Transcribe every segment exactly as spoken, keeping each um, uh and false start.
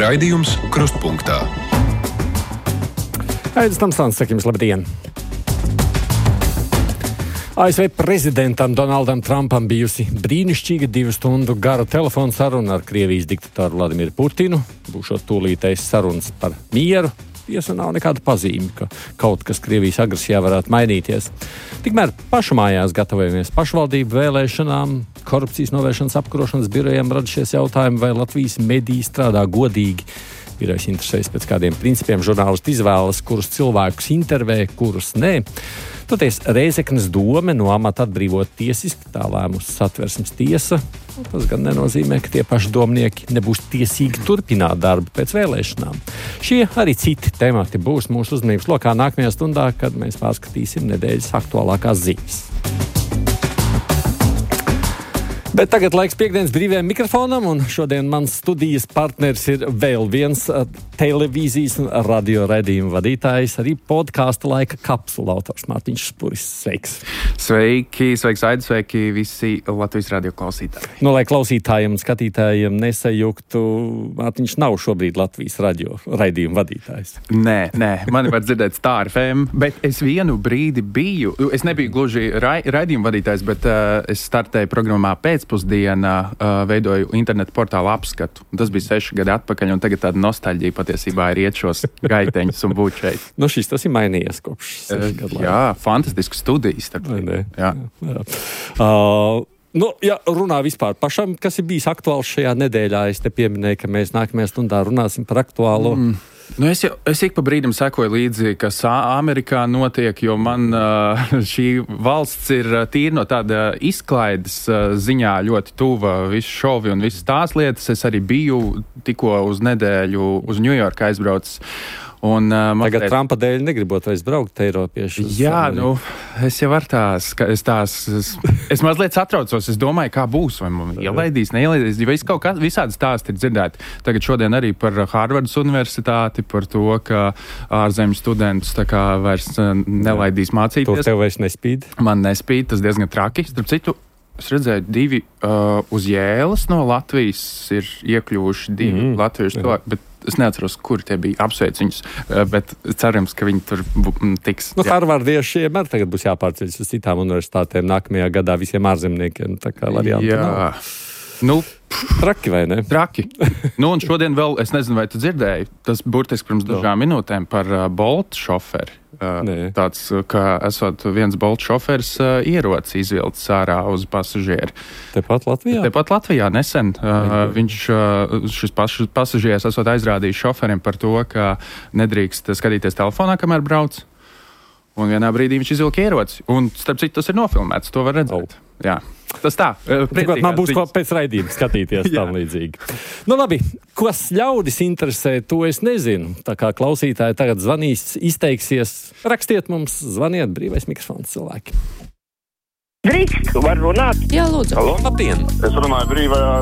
Raidījums Krustpunktā. Aidis Tamsāns, saka jums labdien! A S V prezidentam Donaldam Trumpam bijusi brīnišķīga divu stundu gara telefona saruna ar Krievijas diktatoru Vladimiru Putinu. Būšot tūlītējas sarunas par mieru. Tiesa nav nekāda pazīme, ka kaut kas Krievijas agresijā varētu mainīties. Tikmēr pašmājās gatavojamies pašvaldību vēlēšanām, korupcijas novēršanas apkarošanas birojiem radušies jautājumi, vai Latvijas mediji strādā godīgi. Birojas interesēs pēc kādiem principiem žurnālisti izvēlas, kurus cilvēkus intervē, kurus nē. Toties Rēzeknes dome no amata atbrīvot tiesiski, tā lēmusi Satversmes tiesa. Tas gan nenozīmē, ka tie paši domnieki nebūs tiesīgi turpināt darbu pēc vēlēšanām. Šie arī citi temati būs mūsu uzmanības lokā nākamajā stundā, kad mēs pārskatīsim nedēļas aktuālākās ziņas. Bet tagad laiks piekdienas brīvajam mikrofonam, un šodien mans studijas partners ir vēl viens uh, televīzijas un radio raidījuma vadītājs, arī podkāsta laika kapsula autors Mārtiņš Spuris. Sveiks! Sveiki, sveiks, Aidi, sveiki visi Latvijas radio klausītāji. Nu, lai klausītājiem un skatītājiem nesajuktu, Mārtiņš nav šobrīd Latvijas radio raidījuma vadītājs. Nē, nē, mani var dzirdēt Star F M, bet es vienu brīdi biju, es nebiju gluži ra- raidījuma vadītājs, bet uh, es startēju programmā pēc pēcpusdienā uh, veidoju internetu portālu apskatu. Tas bija seši gadi atpakaļ, un tagad tāda nostalģija patiesībā ir iet šos gaiteņus un būt šeit. Nu, šis tas ir mainījies kopš seši uh, gadu. Jā, fantastisku studijas. Jā. Jā. Jā. Uh, nu, ja runā vispār pašam, kas ir bijis aktuāls šajā nedēļā, es te pieminēju, ka mēs nākamajā stundā runāsim par aktuālo. Mm. Nu es, jau, es ik pa brīdim sekoju līdzi, kas Amerikā notiek, jo man uh, šī valsts ir tīri no tāda izklaides uh, ziņā ļoti tuva visu šovi un visas tās lietas. Es arī biju tikko uz nedēļu uz Ņujorku aizbraucis. Un, uh, Tagad mazliet... Trumpa dēļ negribot vairs braukt Eiropieši. Jā, nu, es jau ar tās, es tās, es, es mazliet satraucos, es domāju, kā būs, vai man ielaidīs, neielaidīs, jo viss kaut kā, visādi stāsti ir dzirdēti. Tagad šodien arī par Harvardas universitāti, par to, ka ārzemju studentus tā kā vairs nelaidīs mācīties. To tev vairs nespīd? Man nespīd, tas diezgan traki. Starp citu, es redzēju, divi uh, uz Jēlas no Latvijas ir iekļuvuši divi mm, latviešu cilvēki, bet es neatceros, kuri tie bija, apsveic viņus, bet cerams, ka viņi tur tiks. Nu, harvardiešiem arī tagad būs jāpārceļas uz citām universitātēm nākamajā gadā visiem ārzemniekiem, tā kā variantu Jā. nav. Nu, traki vai ne? Traki. Nu, un šodien vēl, es nezinu, vai tu dzirdēji, tas burtiski pirms dažām minūtēm par uh, Bolt šoferi. Uh, tāds, ka esot viens Bolt šoferis uh, ieroci izvilcis ārā uz pasažieri. Tepat Latvijā? Tepat Latvijā nesen. Uh, viņš, uh, šis pas, pasažieris esot aizrādījis šoferim par to, ka nedrīkst skatīties telefonā, kamēr brauc. Un vienā brīdī viņš izvilka ieroci. Un, starp citu, tas ir nofilmēts, to var redzēt. Oh. Jā. Tas tā. Tikot man būs ko pēc raidījuma skatīties tam līdzīgi. Nu labi, kas ļaudis interesē, to es nezinu. Tā kā klausītāji tagad zvanīs, izteiksies, rakstiet mums, zvaniet, brīvais mikrofons cilvēki. Drīkst, var runāt? Jā, lūdzu. Halo, labdien! Es runāju brīvajā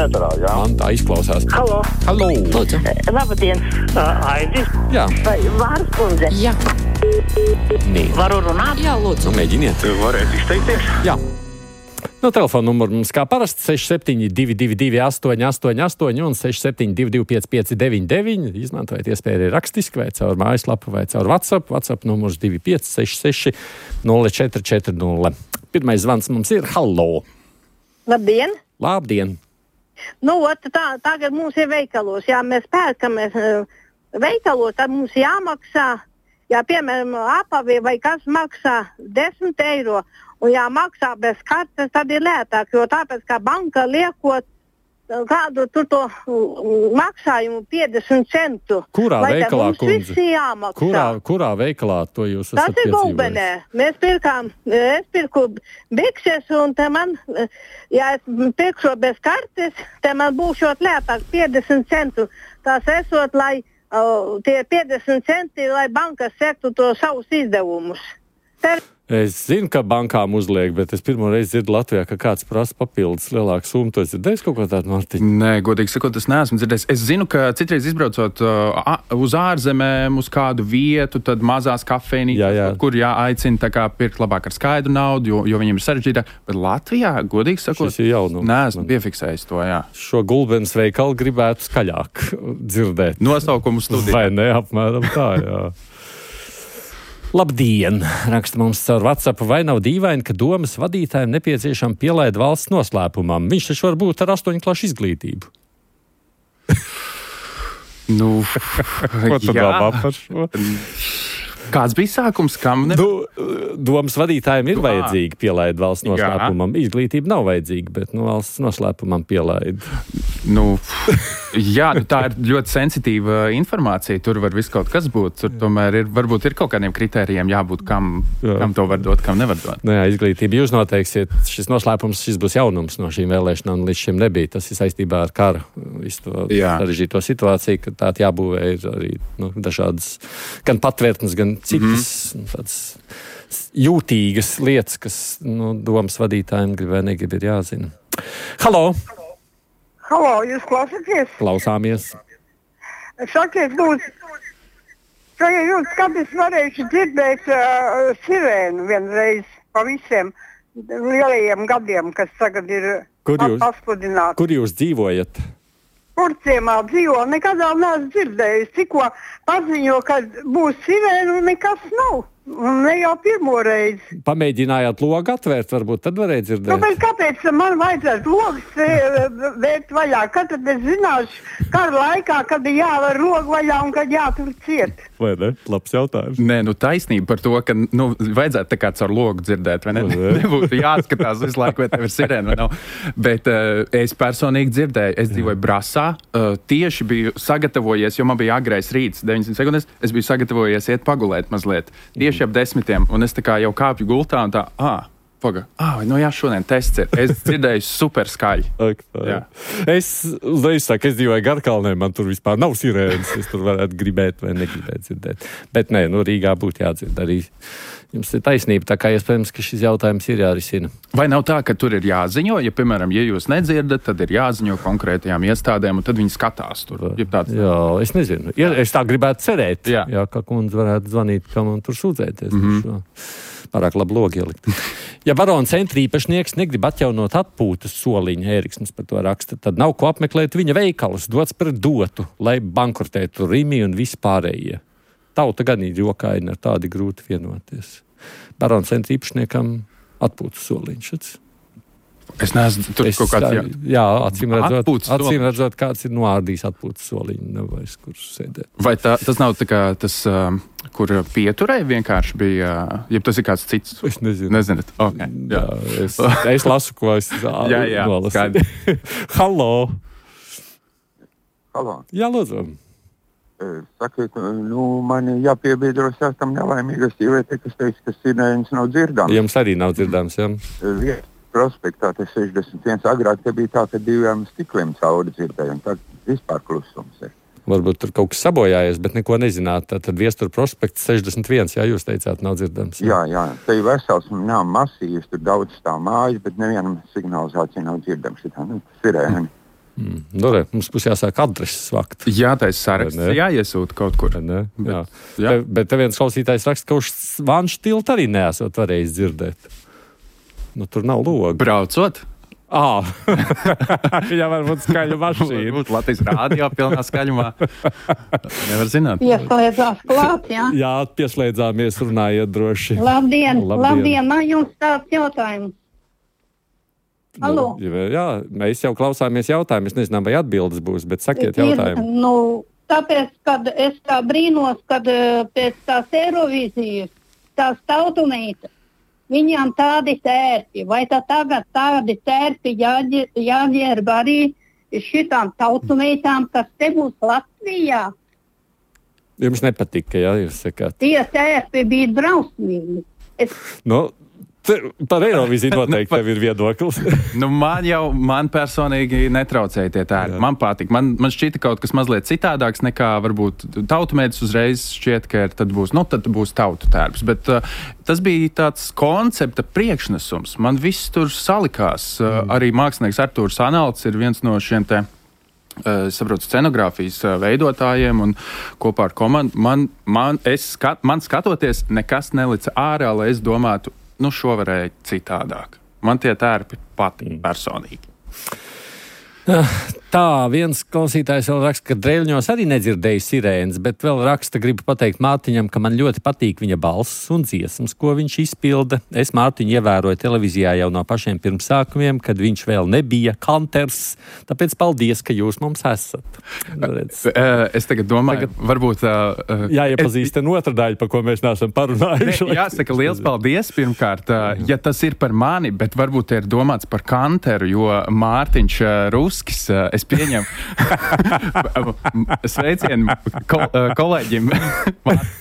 ēterā, jā. Man tā izklausās. Halo. Halo. Lūdzu. Labdien, Aidis. Jā. Vai Vārs kundze? Jā. Nē. Varu runāt? Jā, lūdzu. Nu, mēģiniet. Varētu izteikties? Jā. No telefona numuru mums kā parasti seši septiņi divi divi divi astoņi astoņi astoņi un seši septiņi divi divi pieci pieci deviņi deviņi. Izmantojiet iespēju arī rakstiski vai caur mājaslapu vai caur WhatsApp. WhatsApp numurs divi pieci seši seši nulle četri četri nulle. Pirmais zvans mums ir hallo. Labdien! Labdien! Nu, ot, tā, tagad mums ir veikalos, jā, mēs pērkamies veikalos, tad mums jāmaksā, jā, piemēram, apavi vai kas maksā desmit eiro, un jāmaksā bez kartes, tad ir lētāk, jo tāpēc, kā banka liekot kādu tur to maksājumu piecdesmit centu. Kurā vai veikalā, kundze? Kurā, kurā veikalā to jūs esat piedzīvojis? Tas ir Gulbenē. Mēs pirkām, es pirku bikses, un te man, ja es pirkšu bez kartes, te man būšot lētāk piecdesmit centu. Tas esot, lai uh, tie piecdesmit centi, lai bankas sektu to savus izdevumus. Es zinu, ka bankām uzliek, bet es pirmo reizi dzirdu Latvijā, ka kāds prasa papildus lielāku summu. Tu esi dzirdējis kaut ko tādu, Mārtiņ? Nē, godīgi sakot, es neesmu dzirdējis. Es zinu, ka citreiz izbraucot uh, uz ārzemēm, uz kādu vietu, tad mazās kafejnīcas, jā, jā. kur jāaicina tā kā pirkt labāk ar skaidru naudu, jo, jo viņiem ir sarežģītāk. Bet Latvijā, godīgi sakot, šis ir jaunums. Neesmu piefiksējis to, jā. Šo gulbenes veikalu gribētu skaļāk dzirdēt. Nosaukumu studiju. Vai ne, apmēram tā, jā. Labdien! Raksta mums caur WhatsApp, vai nav dīvaini, ka domas vadītājiem nepieciešama pielaida valsts noslēpumam? Viņš taču var būt ar astoņu klašu izglītību. Nu, ko tu domā par šo? Kāds bija sākums, kam ne? Nu, domas vadītājiem ir vajadzīga pielaida valsts noslēpumam. Jā. Izglītība nav vajadzīga, bet nu, valsts noslēpumam pielaida. Nu, jā, nu, tā ir ļoti sensitīva informācija. Tur var viss kaut kas būt. Tur tomēr ir, varbūt ir kaut kādiem kritērijiem jābūt, kam, jā. kam to var dot, kam nevar dot. Nu, jā, izglītība jūs noteiksiet. Šis noslēpums, šis būs jaunums no šīm vēlēšanām, līdz šim nebija. Tas ir saistībā ar karu, visu to sarežģīto situāciju, ka tā jābūvē ir arī nu, dažādas gan patvērtnes, gan citas mm-hmm. tādas jūtīgas lietas, kas nu, domas vadītājiem grib vai negrib ir jāzina. Halo! Halo, jūs klausāties? Klausāmies. Sakiet, lūdzu, ka jūs katrs varējuši dzirdēt uh, sirēnu vienreiz pa visiem lielajiem gadiem, kas tagad ir pasludināti. Kur jūs dzīvojat? Kurciemā dzīvo, nekad vēl neesmu dzirdējis. Tikko paziņo, ka būs sirēna un nekas nav. Un ne jau pirmo reizi. Pamēģinājāt logu atvērt, varbūt tad varēja dzirdēt. Nu, bet kāpēc man vajadzētu logas vērt vaļā? Kad tad es zināšu, kara laikā, kad ir jāvar logu vaļā un kad jātur ciet? Vai ne? Labs jautājums. Nē, nu taisnība par to, ka nu, vajadzētu tā kā caur logu dzirdēt, vai ne? Nebūtu jāskatās visu laiku, vai tev ir sirēna vai nav. Bet uh, es personīgi dzirdēju, es dzīvoju Brasā, uh, tieši biju sagatavojies, jo man bija agrais rīts, deviņdesmit sekundes, es biju sagatavojies iet pagulēt mazliet. Tieši ap desmitiem, un es tā kā jau kāpju gultā un tā, ā, paga, ā, nu jā, šodien tests ir. Es dzirdēju super skaļi. Ak, es, es saku, es dzīvoju Garkalnē, man tur vispār nav sirēnas, es tur varētu gribēt vai negribēt dzirdēt. Bet nē, nu Rīgā būtu jādzird arī. Jums ir taisnība, tā kā iespējams, ka šis jautājums ir jārisina. Vai nav tā, ka tur ir jāziņo, ja, piemēram, ja jūs nedzirdat, tad ir jāziņo konkrētajām iestādēm, un tad viņi skatās tur? Tāds... Jā, es nezinu. Ja, es tā gribētu cerēt, jā. Jā, ka kundze varētu zvanīt, kam un tur sūdzēties. Mm-hmm. Pārāk labi logi ielikt. Ja barona centra īpašnieks negrib atjaunot atpūtas soliņu, Ēriksnis par to raksta, tad nav ko apmeklēt viņa veikalus, dots par dotu, lai bankrotētu Rimi un vispārējie. Tauta gan ir jokaini, ar tādi grūti vienoties. Barona centra īpašniekam atpūtas soliņš. Es neesmu tur es, kaut kāds... Jā, jā acīm redzot, acīm redzot, kāds ir noārdījis atpūtas soliņu, nevajag, kur sēdēt. Vai tā, tas nav tā kā tas, uh, kur pieturēja vienkārši bija, ja tas ir kāds cits? Es nezinu. Nezināt? Okay, jā. Jā, es, es lasu, ko es jā, jā, nolasīju. Halo! Halo! Jā, lūdzu. Sakiet, nu, man jāpiebiedros tam nelaimīgas sievietei, kas teica, ka sirēnas nav dzirdams. Jums arī nav dzirdams, jā? Vieta prospektā, tas sešdesmit viens, agrāk te bija tā, ka diviem stikliem cauri dzirdēja, un tad vispār klusums ir. Varbūt tur kaut kas sabojājies, bet neko nezināt. Tad Viestura prospekts sešdesmit viens, jā, jūs teicāt, nav dzirdams. Jā, jā, te ir vesels, nav masīvs, tur daudz stāv mājas, bet nevienam signalizācija nav dzirdams. Tā, nu, sirēni. Mm. Nu, re, mums būs jāsāk adreses vakt. Jā, tā ir saraksts, jāiesūta kaut kur. Ne? Bet, jā. jā. Te, bet te viens klausītājs raksta, ka uz Vanšu tiltu arī neesot varējis dzirdēt. Nu, tur nav loga. Braucot? Ā, jā, varbūt skaļa mašīna. Varbūt Latvijas rādio pilnā skaļumā. Nevar zināt. Pieslēdzās klāt, jā? Jā, pieslēdzāmies, runājiet droši. Labdien, labdien, labdien. Man jums tāds jautājums. Halo? Nu, jā, mēs jau klausāmies jautājumu. Es nezinām, vai atbildes būs, bet sakiet jautājumu. Ir, nu, tāpēc, kad es tā brīnos, kad pēc tās Eirovīzijas, tās tautumītas, viņām tādi tērpi, vai tā tagad tādi tērpi jāģērb arī šitām tautumītām, kas te būs Latvijā? Jums nepatika, jā, jūs sakāt? Tie tērpi bija drausmīgi. Es... Nu, Par Eirovīziju noteikti tev ir viedoklis. Nu, man jau, man personīgi netraucēja tie tērpi. Man patīk. Man, man šķita kaut kas mazliet citādāks nekā varbūt tautumēdis uzreiz šķiet, ka tad būs, nu, tad būs tautu tērps. Bet uh, tas bija tāds koncepta priekšnesums. Man viss tur salikās. Uh, mm. Arī mākslinieks Artūrs Analts ir viens no šiem te Es saprotu, scenogrāfijas veidotājiem un kopā ar komandu. Man, man, skat, man skatoties, nekas nelica ārā, lai es domātu, nu šo varēja citādāk. Man tie tērpi patīk personīgi. Tā, viens klausītājs vēl raksta, ka Dreļņos arī nedzirdēja sirēnas, bet vēl raksta, gribu pateikt Mārtiņam, ka man ļoti patīk viņa balss un dziesmas, ko viņš izpilda. Es Mārtiņu ievēroju televīzijā jau no pašiem pirmsākumiem, kad viņš vēl nebija kanters, tāpēc paldies, ka jūs mums esat. Es tagad domāju, tagad varbūt... Uh, jāiepazīst es... otra daļa, par ko mēs neesam parunājuši. Ne, jāsaka, liels paldies pirmkārt, uh, ja tas ir par mani, bet varbūt ir domāts par kanteru, jo Mārtiņš uh, Ruskis, uh, es pieņemu sveicienu kol, kolēģim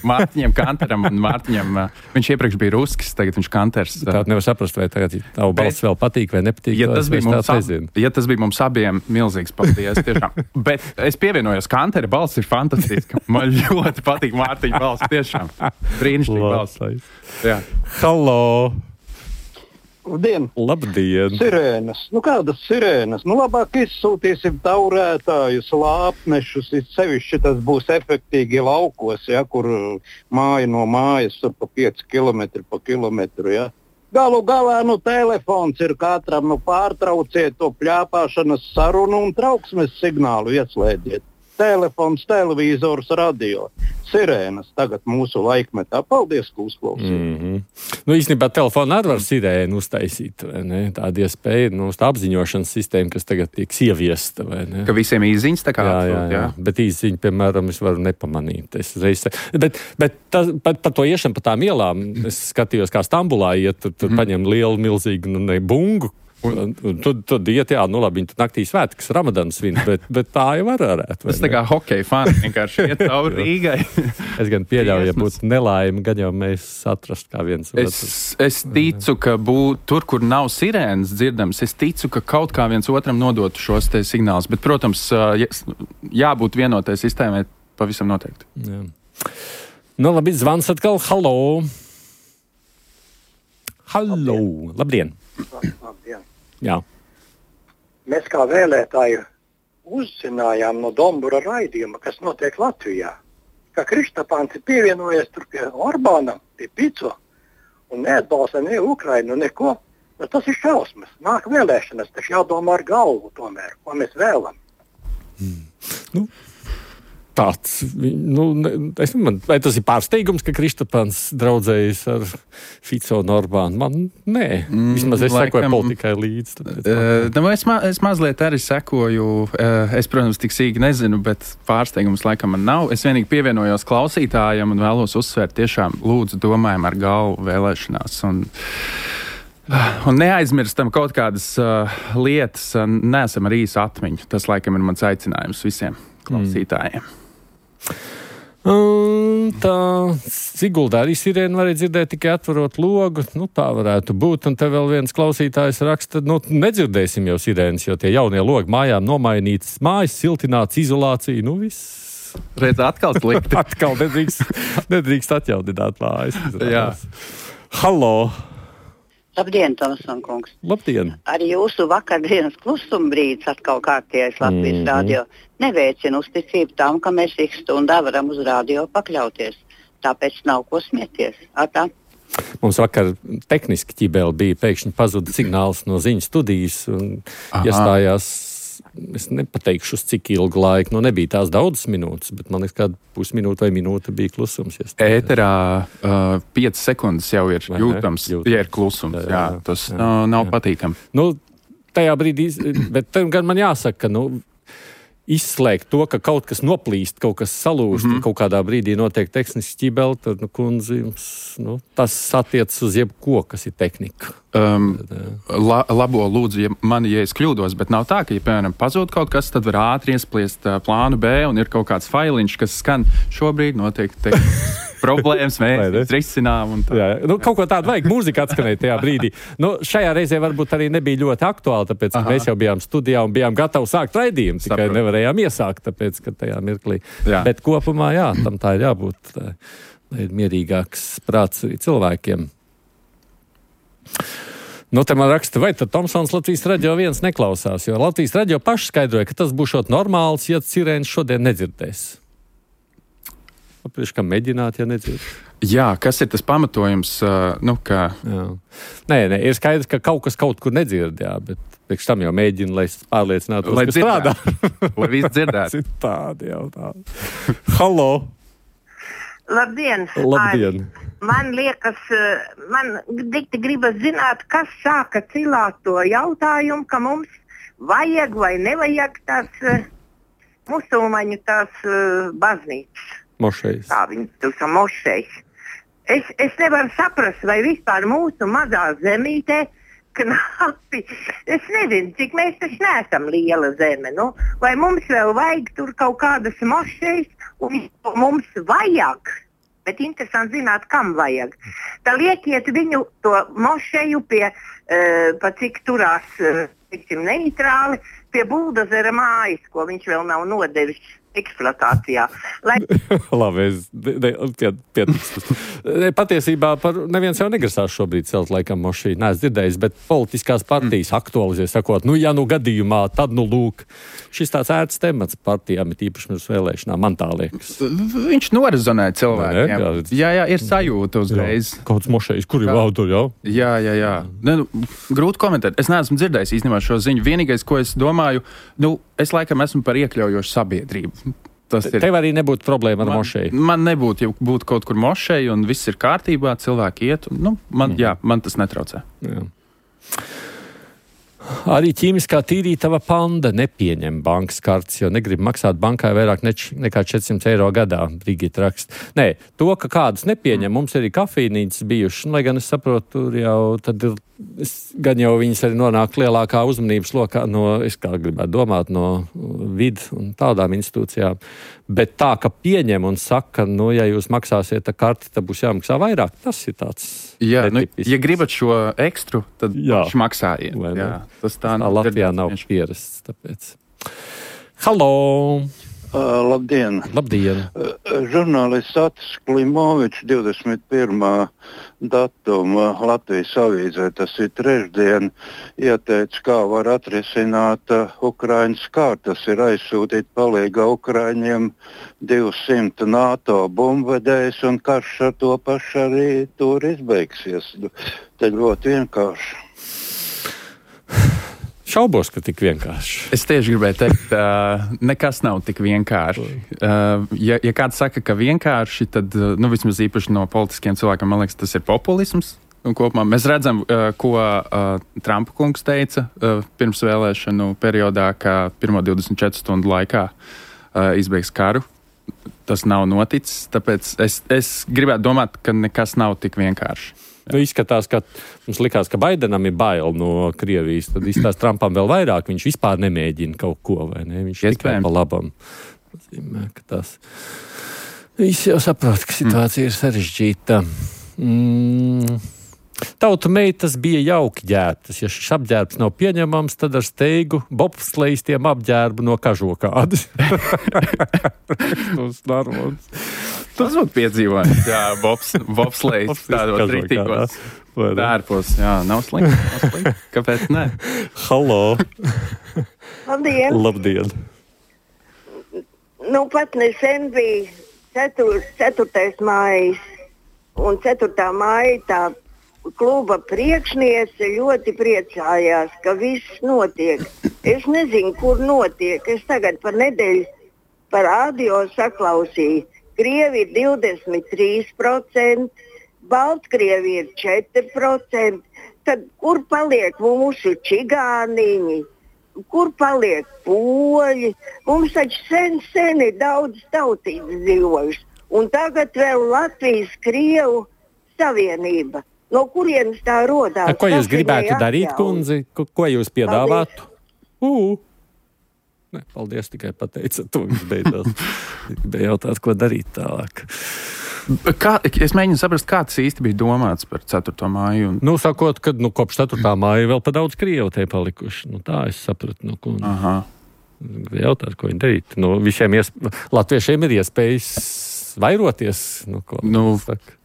Mārtiņam Kanteram un Mārtiņam. Viņš iepriekš bija Ruskis, tagad viņš Kanters. Tātad nevar saprast, vai tagad tavu balss vēl patīk vai nepatīk. Ja tas, bija mums, ab, ja tas bija mums abiem milzīgs paldies, tiešām. Bet es pievienojos, Kantera balss ir fantastiska. Man ļoti patīk Mārtiņa balss, tiešām. Brīnišķīgi balss. Jā. Hallo! Labdien! Labdien! Sirēnas. Nu, kādas sirēnas? Nu, labāk izsūtīsim taurētājus, lāpnešus, sevišķi tas būs efektīgi laukos, ja, kur māja no mājas tur pa pieci kilometri pa kilometru, ja. Galu galā, nu, telefons ir katram, nu, pārtrauciet to pļāpāšanas sarunu un trauksmes signālu ieslēdziet. Telefons, televīzors, radio. Sirēnas tagad mūsu laikmetā. Paldies, ka uzklausījāt. Mm-hmm. Nu, īstenībā telefonu arī var sirēnu uztaisīt, vai ne? Tāda iespēja, nu, tā apziņošanas sistēma, kas tagad tiek ieviesta, vai ne? Ka visiem īziņas tā kā jā, jā, jā. jā. Bet īziņu, piemēram, es varu nepamanīt. Es reiz... Bet, bet tas, par, par to iešanu pa tām ielām, es skatījos, kā Stambulā iet, tur, tur mm. paņem lielu, milzīgu, nu, ne, bungu. Un, un tad, tad iet, jā, nu labi, viņi tur naktī svētkas Ramadans svin, bet, bet tā jau var varētu. Tas tā kā hokeja fani, vienkārši iet cauri Rīgai. Es gan pieļauju, ja būtu nelaime, gan jau mēs atrast kā viens es, es ticu, ka būt tur, kur nav sirēnas dzirdams, es ticu, ka kaut kā viens otram nodotu šos te signālus, bet, protams, jā, jābūt vienotai sistēmai pavisam noteikti. Jā. Nu labi, zvans atkal, hallo! Hallo! Labdien! Labdien! Jā. Mēs kā vēlētāji uzzinājām no Dombura raidījuma, kas notiek Latvijā, ka Kristapāns ir pievienojies tur pie Orbāna, pie Pico, un neatbalsta ne Ukrainu, neko. Bet tas ir šausmas. Nāk vēlēšanas, taču jādomā ar galvu tomēr, ko mēs vēlam. Mm. Nu. Tāds, nu, es, man, vai tas ir pārsteigums, ka Kristapāns draudzējas ar Fico un Orbānu? Man, nē, mm, vismaz es laikam, sekoju politikai līdz. Tāpēc, uh, nu, es, ma, es mazliet arī sekoju, uh, es, protams, tik sīki nezinu, bet pārsteigums laikam man nav. Es vienīgi pievienojos klausītājiem un vēlos uzsvērt tiešām lūdzu domājam ar galvu vēlēšanās. Un, uh, un neaizmirstam kaut kādas uh, lietas, uh, neesam ar īsu atmiņu. Tas laikam ir mans aicinājums visiem klausītājiem. Mm. Un tā Siguldā arī sirēnu varēja dzirdēt tikai atverot logu. Nu, tā varētu būt. Un te vēl viens klausītājs raksta, nu, nedzirdēsim jau sirēnas, jo tie jaunie logi mājām nomainītas, mājas siltināts, izolācija, nu viss. Redz, atkal slikti. atkal nedrīkst, nedrīkst atjaudināt mājas. Jā. Hallo! Labdien, Tomson kungs. Labdien. Arī jūsu vakardienas klusuma brīdis atkal kārtējais Latvijas mm-hmm. radio neveicina uzticību tam, ka mēs ik stundā varam uz radio pakļauties. Tāpēc nav ko smieties. Atā. Mums vakar tehniski ķibeli bija, pēkšņi pazuda signāls no ziņu studijas un Aha. iestājās, es nepateikšu uz cik ilgu laiku, nu nebija tās daudzas minūtes, bet man liekas, kāda pusminūte vai minūte bija klusums. Ēterā uh, piecas sekundes jau ir vai jūtams, ne? Ja ir klusums. Jā, jā, tas jā, nav, nav jā. patīkami. Nu, tajā brīdī, bet gan man jāsaka, ka, nu, izslēgt to, ka kaut kas noplīst, kaut kas salūst, mm-hmm. kaut kādā brīdī notiek tehniski ķibeli, tad, nu, kundzi, jums, nu, tas attiecas uz jebko, kas ir tehnika. Um, la, labo lūdzu, ja mani, ja es kļūdos, bet nav tā, ka, ja, piemēram, pazūd kaut kas, tad var ātri iespliest uh, plānu B un ir kaut kāds failiņš, kas skan šobrīd notiek tehniski problēmas mēs risinām. Jā, nu, kaut ko tādu vajag, mūzika atskanēja tajā brīdī. Nu, šajā reizē varbūt arī nebija ļoti aktuāli, tāpēc, ka Aha. mēs jau bijām studijā un bijām gatavi sākt raidījumu, tikai Saprot. nevarējām iesākt, tāpēc, ka tajā mirklī. Jā. Bet kopumā, jā, tam tā ir jābūt, tā, lai ir mierīgāks prāts arī cilvēkiem. Nu, te man raksta, vai tad Tomsons Latvijas radio viens neklausās, jo Latvijas radio paši skaidroja, ka tas būšot normāls, ja sirēns šodien nedzirdēs. Papriekš, kā mēģināt, ja nedzird. Jā, kas ir tas pamatojums, uh, nu, kā... Jā. Nē, nē, ir skaidrs, ka kaut kas kaut kur nedzird, jā, bet priekš tam jau mēģina, lai pārliecinātos, lai ka strādā. Lai viss dzirdētu. Tādi jau tādi. Halo! Labdien! Labdien! Ai, man liekas, man dikti gribas zināt, kas sāka cilāt to jautājumu, ka mums vajag vai nevajag tās musulmaņu tās baznīcas. Mošejas. Tā viņi tur sa mošejas. Es, es nevaru saprast, vai vispār mūsu mazā zemītē knapi. Es nezinu, cik mēs taču neesam liela zeme. Nu? Vai mums vēl vajag tur kaut kādas mošejas, un mums vajag. Bet interesanti zināt, kam vajag. Tā liekiet viņu to mošeju pie, uh, pa cik turās, uh, tiksim, neitrāli, pie buldozera mājas, ko viņš vēl nav nodevis eksploatācijā. Lai... Labi, es pie, pietiks. Patiesībā par neviens jau negrasās šobrīd celt laikam mošī. Nē, es dzirdējis, bet politiskās partijas mm. aktualizē, sakot, nu, ja nu gadījumā, tad nu lūk. Šis tāds ērts temats partijām, ir īpaši mums vēlēšanā, man tā liekas. Viņš norizonē cilvēkiem. Jā, jā, jā, ir sajūta uzreiz. Jā, kauds mošejas, kur ir vaudu, jā? Jā, jā, jā. Ne, nu, grūti komentēt. Es neesmu dzirdējis īstenībā šo ziņu. Vienīgais, ko es domāju, nu, es laikam esmu par iekļaujošu sabiedrību. Tas ir. Tev arī nebūtu problēma ar man, mošeju? Man nebūtu, ja būtu kaut kur mošeja un viss ir kārtībā, cilvēki iet. Un, nu, man, mm. jā, man tas netraucē. Jā. Arī ķīmiskā tīrītava Panda nepieņem bankas kartes, jo negrib maksāt bankai vairāk neč, nekā četrsimt eiro gadā, Brigita raksta. Nē, to, ka kādas nepieņem, mums arī kafīnītes bijušas, lai gan es saprotu, tur jau tad ir, es, gan jau viņas arī nonāk lielākā uzmanības lokā no, es kā gribētu domāt, no vid un tādām institūcijām. Bet tā, ka pieņem un saka, nu, ja jūs maksāsiet ar karti, tad būs jāmaksā vairāk, tas ir tāds. Jā, nu, ja gribat šo ekstru, tad viņš maksājiet. Jā, tas tā, tā Latvijā nav pierasts, tāpēc. Halo! Uh, labdien! Labdien! Uh, žurnālists Atis Klimovičs divdesmit pirmā datuma Latvijas avīzē, tas ir trešdien, ieteica, kā var atrisināt uh, Ukraiņas kārtu. Tas ir aizsūtīt palīgā Ukraiņiem divsimt NATO bumbvedējus, un karš ar to pašu arī tur izbeigsies. Te ļoti vienkārši. Šaubos, ka tik vienkārši. Es tieši gribēju teikt, uh, nekas nav tik vienkārši. Uh, ja, ja kāds saka, ka vienkārši, tad, uh, nu, vismaz īpaši no politiskiem cilvēkiem, man liekas, tas ir populisms. Un kopumā mēs redzam, uh, ko uh, Trumpa kungs teica uh, pirms vēlēšanu periodā, ka pirmo divdesmit četru stundu laikā uh, izbeigs karu. Tas nav noticis, tāpēc es, es gribētu domāt, ka nekas nav tik vienkārši. Nu, izskatās, ka mums likās, ka Baidenam ir bail no Krievijas, tad izskatās Trumpam vēl vairāk, viņš vispār nemēģina kaut ko, vai ne? Viņš tikai pa labam. Zīmē, ka tas... Visi jau saprot, ka situācija mm. ir sarežģīta. Mm. Tautu meitas bija jauki ģērbtas. Ja šis apģērbs nav pieņemams, tad ar steigu bobslejistiem apģērbu no kažokādas. Tas būtu piedzīvojums. Jā, bobs, bobslejs, tādos rītīgos dārpos. Jā, nav slikti, nav slikti. Kāpēc ne? Halo! Labdien! Labdien! Nu, pat nesen bija cetur, ceturtais mājas, un ceturtā māja tā kluba priekšniece ļoti priecājās, ka viss notiek. Es nezinu, kur notiek. Es tagad par nedēļu par radio saklausīju. Krievi ir divdesmit trīs procenti, Baltkrievi ir četri procenti. Tad kur paliek mūsu čigāniņi? Kur paliek poļi? Mums taču sen, sen ir daudz tautības dzīvojuši. Un tagad vēl Latvijas Krievu savienība. No kurienes tā rodās? A, ko jūs gribētu darīt, kundzi? Ko, ko jūs piedāvātu? Ū! Ne, paldies, tikai pateicat to, viņš beidzās. Gribēju jautāt, ko darīt tālāk. Kā, es mēģinu saprast, kā tas īsti bija domāts par ceturto māju. Un... Nu, sakot, ka nu, kopš ceturtā māja vēl pa daudz Krievu te palikuši. Nu, tā es sapratu. Nu, ko, Aha. Jautāt, ko viņi darīt. Nu, visiem iesp... Latviešiem ir iespējas vairoties. Nu, ko, nu,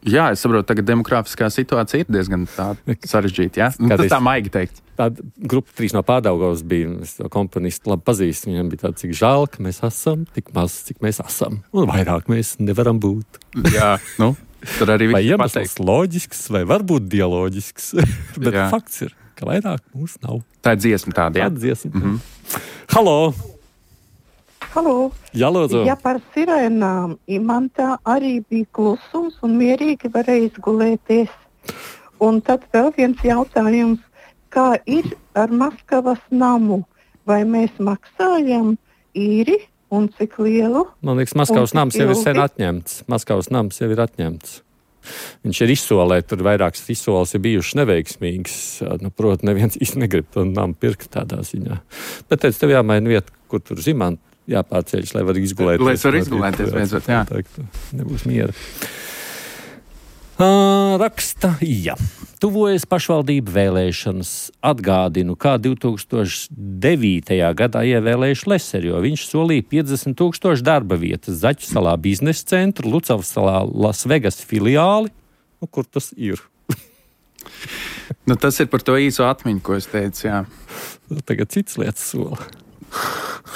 jā, es saprotu, tagad demografiskā situācija ir diezgan sarežģīta. Ja? Nu, tas tā maigi teikt. Tāda grupa trīs no Pārdaugavas bija, es to komponistu labi pazīstu. Viņam bija tāds, cik žēl, ka mēs esam, tik maz, cik mēs esam. Un vairāk mēs nevaram būt. Jā, nu, tur arī vai iemesls loģisks, vai varbūt dialoģisks. Bet jā. Fakts ir, ka vairāk mūs nav. Tā ir dziesma tāda, jā? Tāda dziesma. Mm-hmm. Halo! Halo. Jā, lūdzu. Ja par sirēnām imantā arī bija klusums un mierīgi varēja izgulēties. Un tad vēl viens jautājums, kā ir ar Maskavas namu? Vai mēs maksājam īri un cik lielu? Man liekas, Maskavas nams jau ir sen atņemts. Maskavas nams jau ir atņemts. Viņš ir izsolē, tur vairākas izsoles ir bijušas neveiksmīgas. Nu, proti, neviens īsti negrib to namu pirkt tādā ziņā. Bet teicu, tev jāmaina vieta, kur tur zimant. Jāpārceļas, lai var izgulēties. Lai es varu izgulēties, beidzot, jā. Nebūs miera. Uh, raksta, jā. Tuvojas pašvaldību vēlēšanas. Atgādinu, kā divi tūkstoši devītajā gadā ievēlējuši Leseri, jo viņš solīja piecdesmit tūkstoši darba vietas Zaķu salā biznesa centru, Lucavas salā Lasvegas filiāli. Nu, kur tas ir? Nu, tas ir par to īso atmiņu, ko es teicu, jā. Tagad cits lietas sola.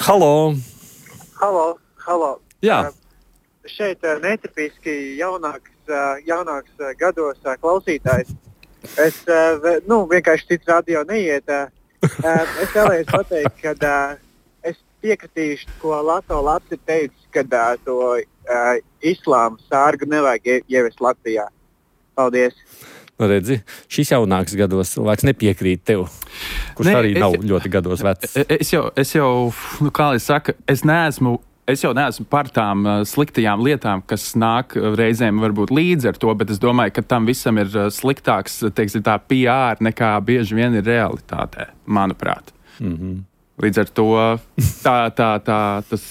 Halo! Halo, halo. Jā. Uh, šeit uh, netipiski jaunāks, uh, jaunāks uh, gados uh, klausītājs. Es uh, v, nu, vienkārši cits radio neiet. Uh, uh, es vēlējos pateikt, ka uh, es piekritīšu, ko Lato Lats ir teicis, ka uh, to uh, islāma sārgu nevajag ie, ievest Latvijā. Paldies! Nu, redzi, šis jaunāks gados cilvēks nepiekrīt tev, kurš ne, arī nav es, ļoti gados vecs. Es jau, es jau, nu kā lai saka, es neesmu, es jau neesmu par tām uh, sliktajām lietām, kas nāk uh, reizēm varbūt līdzi ar to, bet es domāju, ka tam visam ir uh, sliktāks, teiksim, tā P R nekā bieži vien ir realitātē, manuprāt. Mm-hmm. Līdz ar to tā, tā, tā, tas,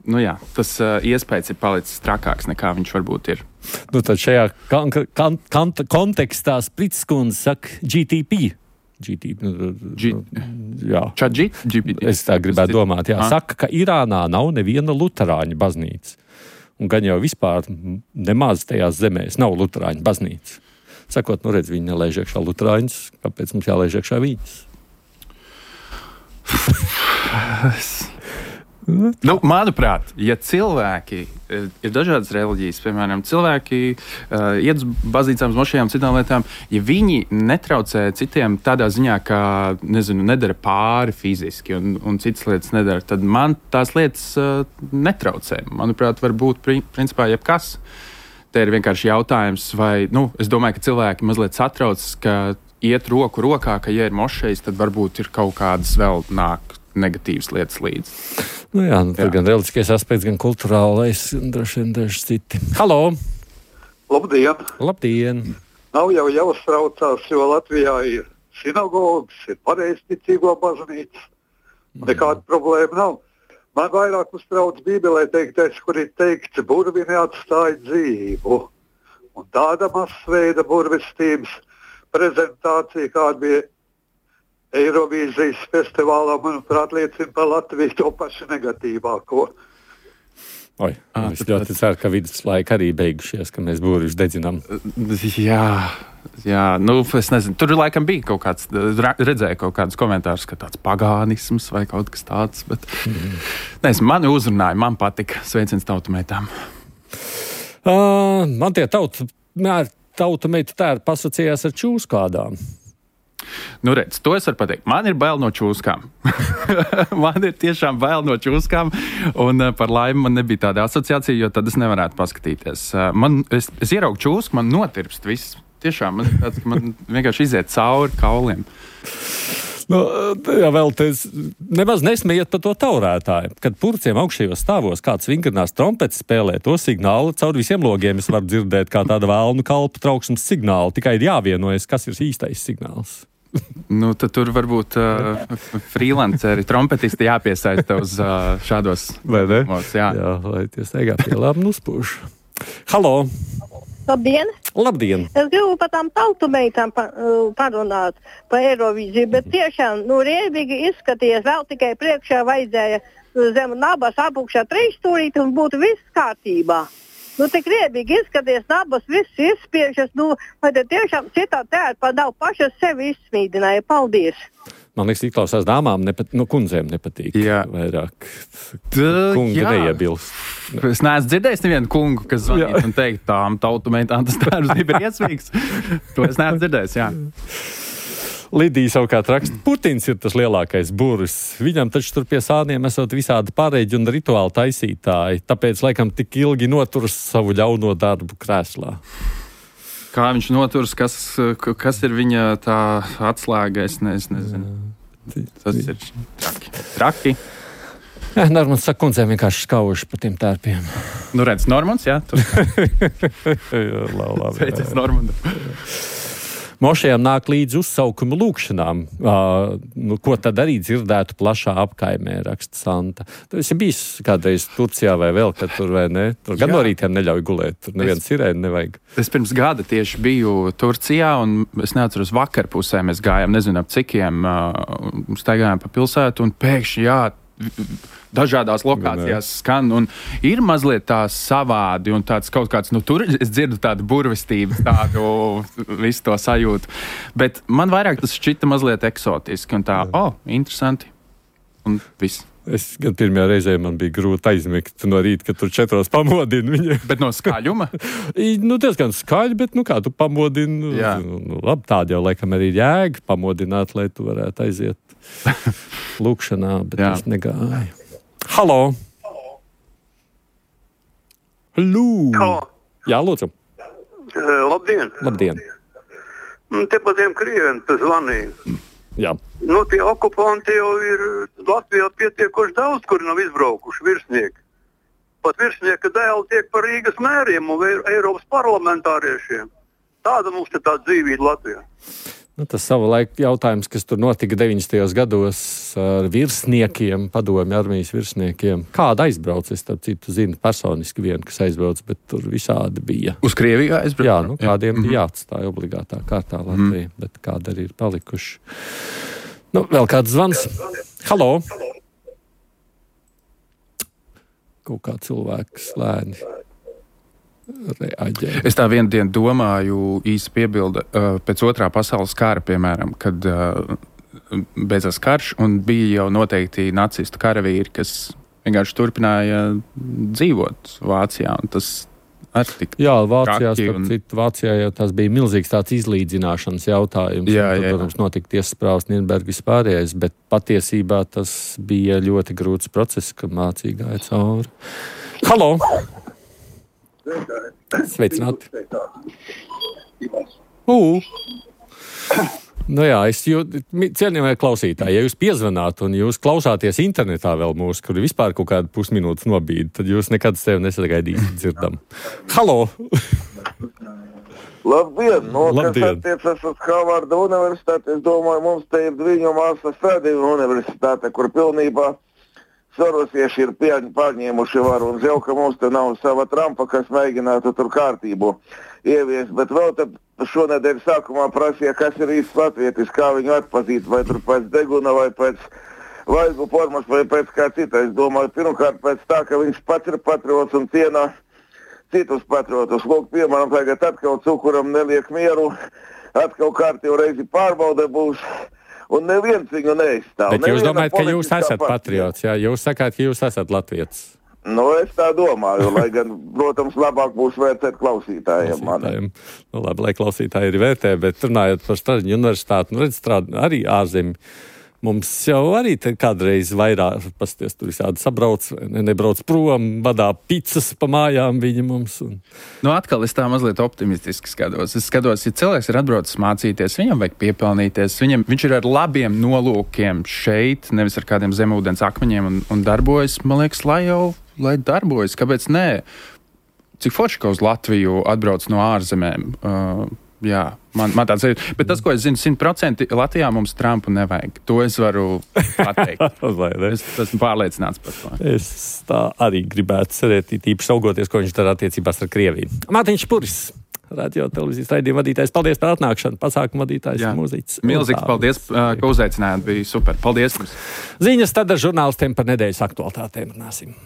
nu jā, tas uh, iespējas ir palicis trakāks nekā viņš varbūt ir. Nu, tad šajā kan- kan- kan- kontekstā Sprits kundze saka G T P. G T P. G- jā. G- G- es tā gribētu domāt. Jā. Saka, ka Irānā nav neviena luterāņu baznīca. Un gan jau vispār nemaz tajās zemēs nav luterāņu baznīca. Sakot, nu redz, viņi nelaiž iekšā luterāņus, kāpēc mums jālaiž iekšā viņus? Nu, manuprāt, ja cilvēki ir dažādas reliģijas, piemēram, cilvēki uh, iet uz baznīcām, uz mošejām, citām lietām, ja viņi netraucē citiem tādā ziņā, ka, nezinu, nedara pāri fiziski un, un citas lietas nedara, tad man tās lietas uh, netraucē. Manuprāt, var būt principā jebkas. Te ir vienkārši jautājums, vai, nu, es domāju, ka cilvēki mazliet satrauc, ka iet roku rokā, ka, ja ir mošejas, tad varbūt ir kaut kādas vēl nāk negatīvas lietas līdzi. Nu jā, nu, tur jā. Gan reliģiskais aspekts, gan kulturālais, un droši vien daži citi. Halo! Labdien! Labdien! Nav jau jāuztraucās, jo Latvijā ir sinagogas, ir pareizticīgo baznīca. Mm. Nekāda problēma nav. Man vairāk uztrauc Bībelē teiktais, kur ir teikts, burvi neatstāja dzīvu. Un tāda masveida burvestības prezentācija, kāda bija Eirovīzijas festivālā, manuprāt, liecina par Latviju to pašu negatīvāko. Oi, à, es ļoti ceru, ka viduslaika arī beigušies, ka mēs būrīši dedzinām. Jā, jā, nu, es nezinu, tur laikam bija kaut kāds, redzēju kaut kādus komentārus, ka tāds pagānisms vai kaut kas tāds, bet mm. nezinu, mani uzrunāja, man patika. Sveiciens tautumētām. Uh, man tie tautu, tautumeitu tēri pasacījās ar čūskādām. Nu, redz, to es varu pateikt. Man ir bail no čūskām. Man ir tiešām bail no čūskām, un uh, par laimi man nebija tāda asociācija, jo tad es nevarētu paskatīties. Uh, man, es, es ieraugu čūsku, man notirpst viss. Tiešām, man, tāds, man vienkārši iziet cauri kauliem. Nu, jā, vēl te nemaz nesmējiet par to taurētāju. Kad purciem augšējos stāvos kāds vingrinās trompeti spēlē to signālu, caur visiem logiem es varu dzirdēt kā tāda vēlnu kalpu trauksmes signālu. Tikai ir jāvienojas, kas ir īstais signāls. Nu, tad tur varbūt uh, freelanceri, trompetisti jāpiesaista uz uh, šādos vai ne? Mos, jā. Jā, lai tie steigā pie labi nuspūš. Halo! Labdien! Labdien! Es gribu par tām tautumeitām pa, uh, parunāt par Eirovīziju, bet tiešām, nu, riebīgi izskaties, vēl tikai priekšā vajadzēja zem nabas apukšā trīs stūrīti un būtu viss kārtībā. Nu, tik riebīgi izskaties, nabas viss izspiežas, nu, vai te tiešām citā tērpa nav pašas sevi izsmīdināja. Paldies! Man liekas, izklausās dāmām, nepat, nu, kundzēm nepatīk. Jā. Vairāk. Tā, kungi jā. neiebilst. Es neesmu dzirdējis nevienu kungu, kas zvanītu un teikt, tām tautumeitām tas tērps ir iesvīgs. To es neesmu dzirdējis, jā. Lidija savukārt raksta, Putins ir tas lielākais burvis. Viņam taču tur pie sāniem esot visādi pārēģi un rituāli taisītāji, tāpēc laikam tik ilgi noturas savu ļauno darbu krēslā. Kā viņš noturas, kas, kas ir viņa tā atslēga, es, ne, es nezinu. Tas ir traki. Traki. Jā, Normans saka, kundzēm vienkārši skauži pa tiem tērpiem. Nu redz, Normans, jā? jā, labi. Sveicis Normandam. Mošajām nāk līdz uzsaukumu lūkšanām. Uh, nu, ko tad arī dzirdētu plašā apkaimē, raksta Santa. Tu esi bijis kādreiz Turcijā vai vēl, kad tur vai ne? Tur gan no rītiem neļauj gulēt, tur neviens sirēni nevajag. Es pirms gada tieši biju Turcijā, un es neatceros vakarpusē, mēs gājām, nezinu, ap cikiem, uh, staigājām pa pilsētu, un pēkšņi, jā, dažādās lokācijās skan, un ir mazliet tā savādi, un tāds kaut kāds, nu tur es dzirdu tādu burvestību, tādu visu to sajūtu, bet man vairāk tas šķita mazliet eksotiski, un tā, o, oh, interesanti, un viss. Es gan pirmajā reizē man bija grūti aizmigt no rīta, kad tur četros pamodina viņu. Bet no skaļuma? nu, diezgan skaļi, bet nu kā tu pamodini, nu, nu, labi, tāda jau laikam arī jēga pamodināt, lai tu varētu aiziet lūkšanā, bet es negāju. Halo! Halo! Halo! Jā, lūdzu. Uh, labdien! Labdien! Te pa tiem krieviem tas zvanīja. Jā. Nu, tie okupanti jau ir Latvijā pietiekoši daudz, kuri nav izbraukuši virsnieki. Pat virsnieka dēli tiek par Rīgas mēriem un Eiropas parlamentāriešiem. Tāda mums te tā dzīvība Latvijā. Nu, tas savulaik jautājums, kas tur notika deviņdesmitajos gados ar virsniekiem, padomju armijas virsniekiem. Kāda aizbrauc? Es starp citu zinu personiski vienu, kas aizbrauc, bet tur visādi bija. Uz Krieviju aizbrauc? Jā, nu, kādiem mm-hmm. bija jāatstāja obligātā kārtā Latvija, mm-hmm. bet kāda arī ir palikuši. Nu, vēl kāds zvans. Halo! Kaut kā cilvēks lēni reaģē. Es tā vienu dienu domāju, īsi piebilda, uh, pēc otrā pasaules kara, piemēram, kad uh, beidzās karš un bija jau noteikti nacistu karavīri, kas vienkārši turpināja dzīvot Vācijā, un tas arī tik Jā, Vācijā, un... citu, Vācijā jau tas bija milzīgs tāds izlīdzināšanas jautājums. Jā, un, tad, jā, jā. protams, notika tiesas prāvas Nirnberg vispārējais, bet patiesībā tas bija ļoti grūts process, kad Vācija gāja cauri. Halo! Sveicināti! Ū! Nu jā, es jūtu, cienījamie klausītāji, ja jūs piezvanāt un jūs klausāties internetā vēl mūsu, kur vispār kaut kādu pusminūtes nobīd, tad jūs nekad sevi nesagaidīsiet dzirdam. Halo! Labdien! No, Labdien. Kas attiecas uz Harvarda universitāti, es domāju, mums te ir Dviņu māsas Fredija universitāte, kur pilnībā sorosieši ir pārņēmuši varu un jau, ka mums te nav sava Trumpa, kas mēģinātu tur kārtību ievies, bet vēl tad šonedēļ sākumā prasīja, kas ir īsts latvietis, kā viņu atpazīt, vai tur pēc deguna, vai pēc vaigu formas, vai pēc kā cita. Es domāju, pirmkārt pēc tā, ka viņš pats ir patriots un cienā citus patriotus. Lūk, piemēram, tagad atkal cukuram neliek mieru, atkal kārtību reizi pārbaude būs. Un neviens viņu neizstāv. Bet jūs domājat, ka jūs esat patriots, jā? Jūs sakāt, ka jūs esat latvietis. Nu, es tā domāju, lai gan, protams, labāk būs vērtēt klausītājiem. klausītājiem. Nu, labi, lai klausītāji ir vērtē, bet runājot par Stražiņu universitāti, nu, redz, strādā arī ārzemī. Mums jau arī kādreiz vairāk, pasties, tur visādi sabrauc, ne, nebrauc prom, badā picas pa mājām viņi mums. Un... Nu, atkal es tā mazliet optimistiski skatos. Es skatos, ja cilvēks ir atbraucis mācīties, viņam vajag piepelnīties, viņam, viņš ir ar labiem nolūkiem šeit, nevis ar kādiem zemūdens akmeņiem un, un darbojas, man liekas, lai jau, lai darbojas, kāpēc nē? Cik forši, ka uz Latviju atbrauc no ārzemēm? Uh, Jā, man, man tāds ir. Bet tas, ko es zinu, simt procenti Latvijā mums Trumpu nevajag. To es varu pateikt. es esmu pārliecināts par to. Es tā arī gribētu cerēt, īpaši augoties, ko viņš dara attiecībās ar Krieviju. Mārtiņš Puris. radio televīzijas raidījuma vadītājs. Paldies par atnākšanu. Pasākuma vadītājs, mūziķis. Milzīgs paldies, ka uzaicinājāt. Bija super. Paldies jums. Ziņas tad ar žurnālistiem par nedēļas aktualitātēm runāsim.